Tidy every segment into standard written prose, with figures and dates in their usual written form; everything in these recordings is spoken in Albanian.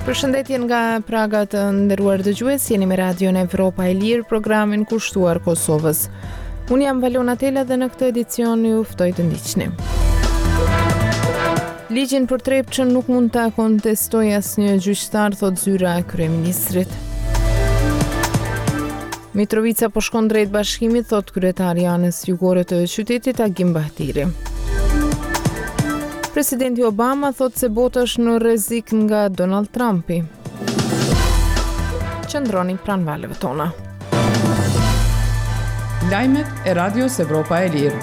Përshëndetje nga Praga të nderuar dëgjues, jeni me Radion Evropa e Lirë, programin kushtuar Kosovës. Unë jam Valona Tela dhe në këtë edicion ju ftoj të ndiqni. Ligjin për Trepçën nuk mund ta kontestojë asnjë gjyqtar, thotë zyra e kryeministrit. Mitrovica po shkon drejt bashkimit, thotë kryetari i anës jugore të qytetit Agim Bahtiri. Presidenti Obama thotë se bota është në rrezik nga Donald Trumpi. Qëndroni pranë valëve tona. Lajmet e Radios Evropa e Lirë.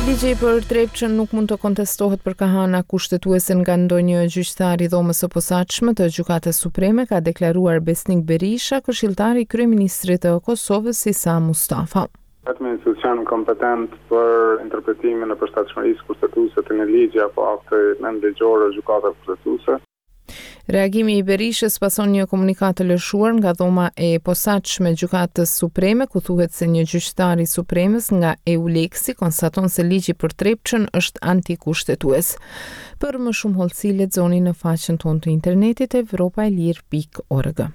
Ligji për Trepçën nuk mund të kontestohet për kah ana kushtetuese nga ndonjë gjyqtar i Dhomës së Posaçme të Gjykatës Supreme, ka deklaruar Besnik Berisha, këshilltar i kryeministrit të Kosovës, Isa Mustafa. Vetmi institucion kompetent për interpretimin e përshtatshmërisë kushtetuese të një ligji apo akti nënligjor është Gjykata Kushtetuese. Reagimi i Berishës pason një komunikatë të lëshuar nga Dhoma e Posaçme e Gjykatës Supreme, ku thuhet se një gjyqtar i Supremes nga EULEX-i konstaton se ligji për Trepçën është antikushtetues. Për më shumë hollësi lexoni në faqen tonë të internetit evropaelire.org.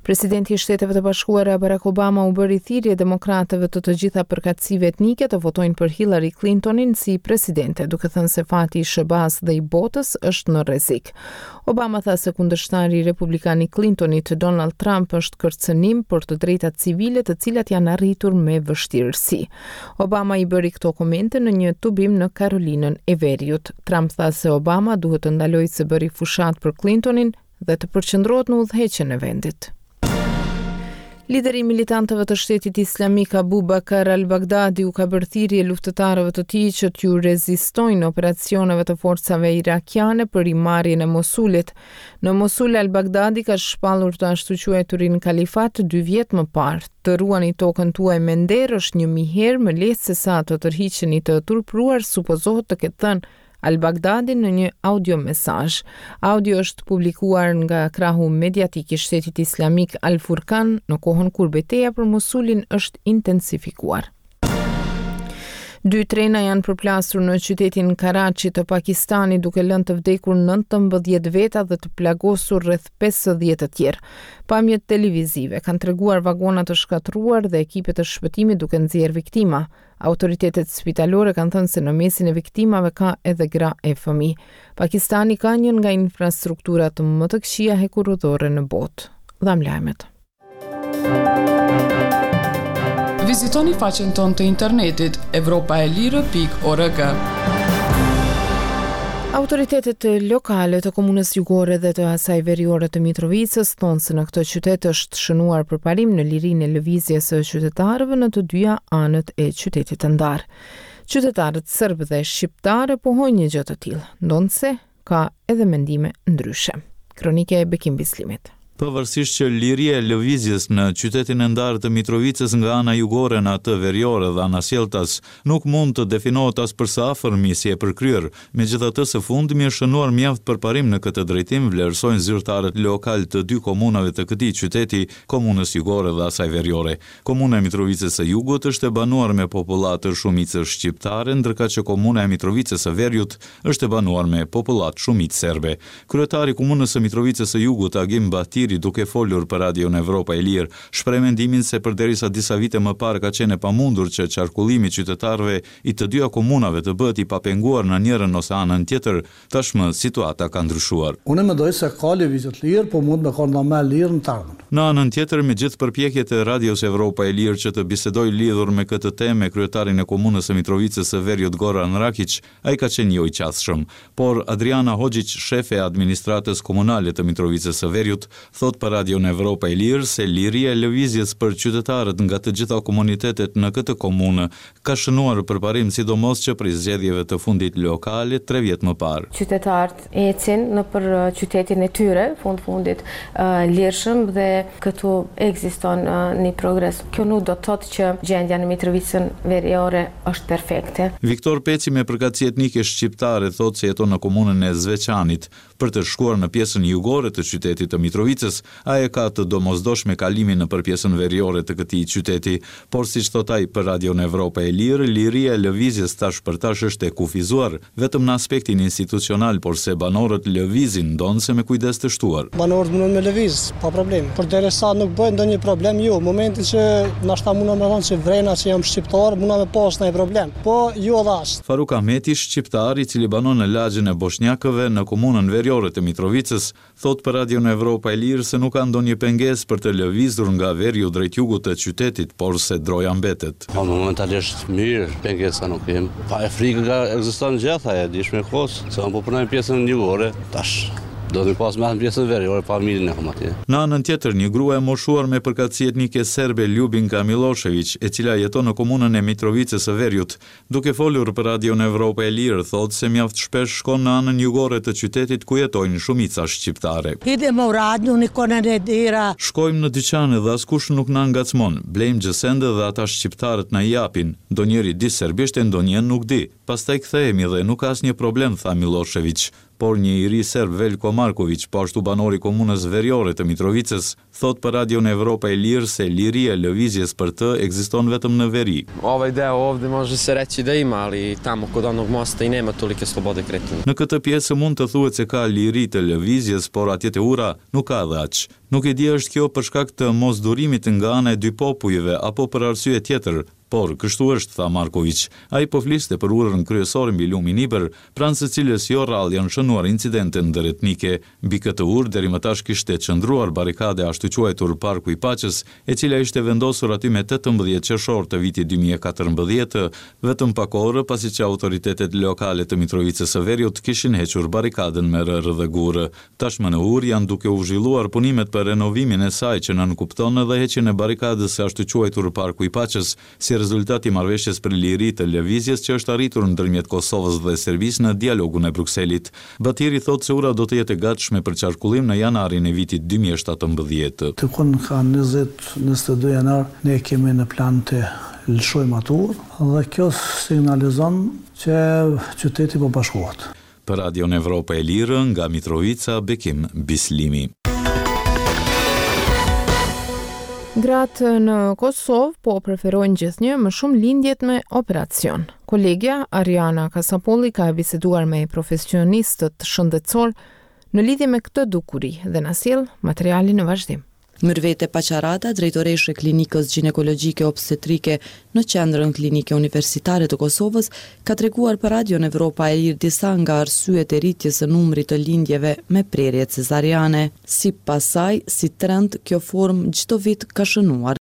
Presidenti i Shteteve të Bashkuara Barack Obama u bëri thirrje demokratëve të të gjitha përkatësive etnike të votojnë për Hillary Clintonin si presidente, duke thënë se fati i SHBA-së dhe i botës është në rrezik. Obama tha se kundërshtari republikan i Clintonit, Donald Trump, është kërcënim për të drejtat civile të cilat janë arritur me vështirësi. Obama i bëri këto komente në një tubim në Karolinën e Veriut. Trump tha se Obama duhet të ndalojë së bëri fushatë për Clintonin dhe të përqendrohet në udhëheqjen e vendit. Lideri i militantëve të shtetit islamik Abu Bakr al-Baghdadi u ka bërë thirrje luftëtarëve të tij që t'ju rezistojnë operacioneve të forcave irakiane për rimarrjen e Mosulit. Në Mosul al-Baghdadi ka shpallur të ashtuquajturin kalifat dy vjet më parë. Të ruani tokën tuaj me nder është 1000 herë më lehtë se sa të tërhiqeni të turpëruar, supozohet të ketë thënë Al-Baghdadi në një audio-mesazh. Audio është publikuar nga krahu mediatik i Shtetit Islamik Al-Furqan në kohën kur beteja për Mosulin është intensifikuar. Dy trena janë përplasur në qytetin Karachi të Pakistanit duke lënë të vdekur 19 veta dhe të plagosur rreth 50 të tjerë. Pamjet televizive kanë treguar vagona të shkatërruar dhe ekipe të shpëtimit duke nxjerrë viktima. Autoritetet spitalore kanë thënë se në mesin e viktimave ka edhe gra e fëmijë. Pakistani ka një nga infrastrukturat më të këqija hekurudhore në botë. Dhamë lajmet. Vizitoni faqen tonë të internetit evropaelire.org. Autoritetet lokale të komunës jugore dhe të asaj veriore të Mitrovicës thonë se në këtë qytet është shënuar përparim në lirinë e lëvizjes së qytetarëve në të dyja anët e qytetit të ndarë. Qytetarët serbë dhe shqiptarë pohojnë një gjë të tillë, ndonëse ka edhe mendime ndryshe. Kronikë e Bekim Bislimit. Pavarësisht që liria e lëvizjes në qytetin e ndarë të Mitrovicës nga ana jugore në atë veriore dhe anasjelltas nuk mund të definohet as për së afërmi si e përkryer, megjithatë së fundmi është shënuar mjaft përparim në këtë drejtim, vlerësojnë zyrtarët lokalë të dy komunave të këtij qyteti, komunës jugore dhe asaj veriore. Komuna e Mitrovicës së Jugut është e banuar me popullatë shumicë shqiptare, ndërkaq që komuna e Mitrovicës së Veriut është e banuar me popullatë shumicë serbe. Kryetari i Komunës së Mitrovicës së Jugut, Agim Bahtiri, duke folur për Radion Evropa e Lirë, shpreh mendimin se përderisa disa vite më parë ka qenë e pamundur që qarkullimi i qytetarëve i të dyja komunave të bëhet i papenguar në njërën ose anën tjetër, tashmë situata ka ndryshuar. Unë mendoj se ka lëvizje të lirë, po mund me kon ma e lirë në të ardhmen. Në anën tjetër, me gjithë përpjekjet e Radios Evropa e Lirë që të bisedojë lidhur me këtë temë me kryetarin e Komunës së Mitrovicës së Veriut Goran Rakiq, Ai ka qenë jo i qasshëm. Por, Adriana Hoxhiq, shefe e administratës komunale të Mitrovicës së Veriut, thotë për Radion Evropa e Lirë se liria e lëvizjes për qytetarët nga të gjitha komunitetet në këtë komunë ka shënuar përparim sidomos që prej zgjedhjeve të fundit lokale tre vjet më parë. Qytetarët ecin nëpër qytetin e tyre, fund fundit, lirshëm dhe këtu ekziston një progres. Kjo nuk do të thotë që gjendja në Mitrovicën Veriore është perfekte. Viktor Peci me përkatësi etnike shqiptare thotë se jeton në komunën e Zveçanit. Për të shkuar në pjesën jugore të qytetit të Mitrovicës. Mitrovicës, ai e ka të domosdoshme kalimin nëpër pjesën veriore të këtij qyteti. Por siç thotë ai për Radion Evropa e Lirë, liria e lëvizjes tash për tash është e kufizuar, vetëm në aspektin institucional, porse banorët lëvizin, ndonëse me kujdes të shtuar. Banorët mundën me lëviz, pa problem. Përderisa nuk bëjnë ndonjë problem, jo. Momentin që nashta muna me thonë që vrena që jam shqiptar, muna me pas ndonjë problem. Po, jo edhe aq. Faruk Ahmeti, shqiptar, i cili banon në lagjen e Boshnjakëve në komunën veriore të Mitrovicës, Thotë për Radion Evropa e Lirë se nuk ka ndonjë pengesë për të lëvizur nga veriu drejt jugut të qytetit, por se droja mbetet. Po momentalisht mirë, pengesa nuk kem. Pa e frikë ekziston gjithë ajo, e dishme kohës, se unë po punoj në pjesën jugore, tash do të pas me në pjesën veriore, familjen e kam atje. Në anën tjetër, një grua e moshuar me përkatësi etnike serbe, Ljubinka Millosheviq, e cila jeton në komunën e Mitrovicës së Veriut, Duke folur për Radion Evropa e Lirë, thotë se mjaft shpesh shkon në anën jugore të qytetit ku jetojnë shumica shqiptare. Idemo u radnju, niko ne ne dira. Shkojmë në dyqane dhe askush nuk na ngacmon, blejmë gjësende dhe ata shqiptarët na i japin, ndonjëri di serbisht e ndonjë nuk di. Pastaj kthehemi dhe nuk ka asnjë problem, tha Millosheviq. Por një i ri serb Velko Markoviq, po ashtu banor i komunës veriore të Mitrovicës, Thotë për Radion Evropa e Lirë se liria e lëvizjes për të ekziston vetëm në veri. Ovaj deo ovde može se reći da ima, ali tamo kod onog mosta i nema tolike slobode kretanja. Në këtë pjesë mund të thuhet se ka liri të lëvizjes, por atje te ura nuk ka edhe aq. Nuk e di a është kjo për shkak të mosdurimit nga ana e dy popujve apo për arsye tjetër, por kështu është, tha Markoviq. Ai po fliste për urën kryesore mbi lumin Ibër, pranë së cilës jo rrallë janë shënuar incidente ndëretnike. Mbi këtë urë deri më tash kishte qëndruar barrikada e ashtuquajtur Parku i Paqes, e cila ishte vendosur aty me 18 qershor të vitit 2014, vetëm pak orë pasi që autoritetet lokale të Mitrovicës së Veriut kishin hequr barrikadën me rërë dhe gurë. Tashmë në urë janë duke u zhvilluar punimet për renovimin e saj që nënkupton edhe heqjen e barrikadës së ashtuquajtur Parku i Paqes, si rezultat i marrëveshjes për liri të lëvizjes që është arritur ndërmjet Kosovës dhe Serbisë në dialogun e Brukselit. Batiri thotë se ura do të jetë e gatshme për qarkullim në janarin e vitit 2017. Dikun ka 20, 22 janar ne kemi në plan të lëshojmë atë urë dhe kjo signalizon që qyteti po bashkohet. Për Radion Evropa e Lirë, nga Mitrovica, Bekim Bislimi. Gratë në Kosovë po preferojnë gjithnjë më shumë lindjet me operacion. Kolegja Ariana Kasapolli ka biseduar me profesionistët shëndetësorë në lidhje me këtë dukuri dhe na sjell materialin në vazhdim. Myrvete Paqarada, drejtoreshë e Klinikës Gjinekologjike Obstetrike në Qendrën Klinike Universitare të Kosovës, ka treguar për Radion Evropa e Lirë disa nga arsyet e rritjes së numrit të lindjeve me prerje cezariane. Sipas saj, si trend, kjo formë çdo vit ka shënuar.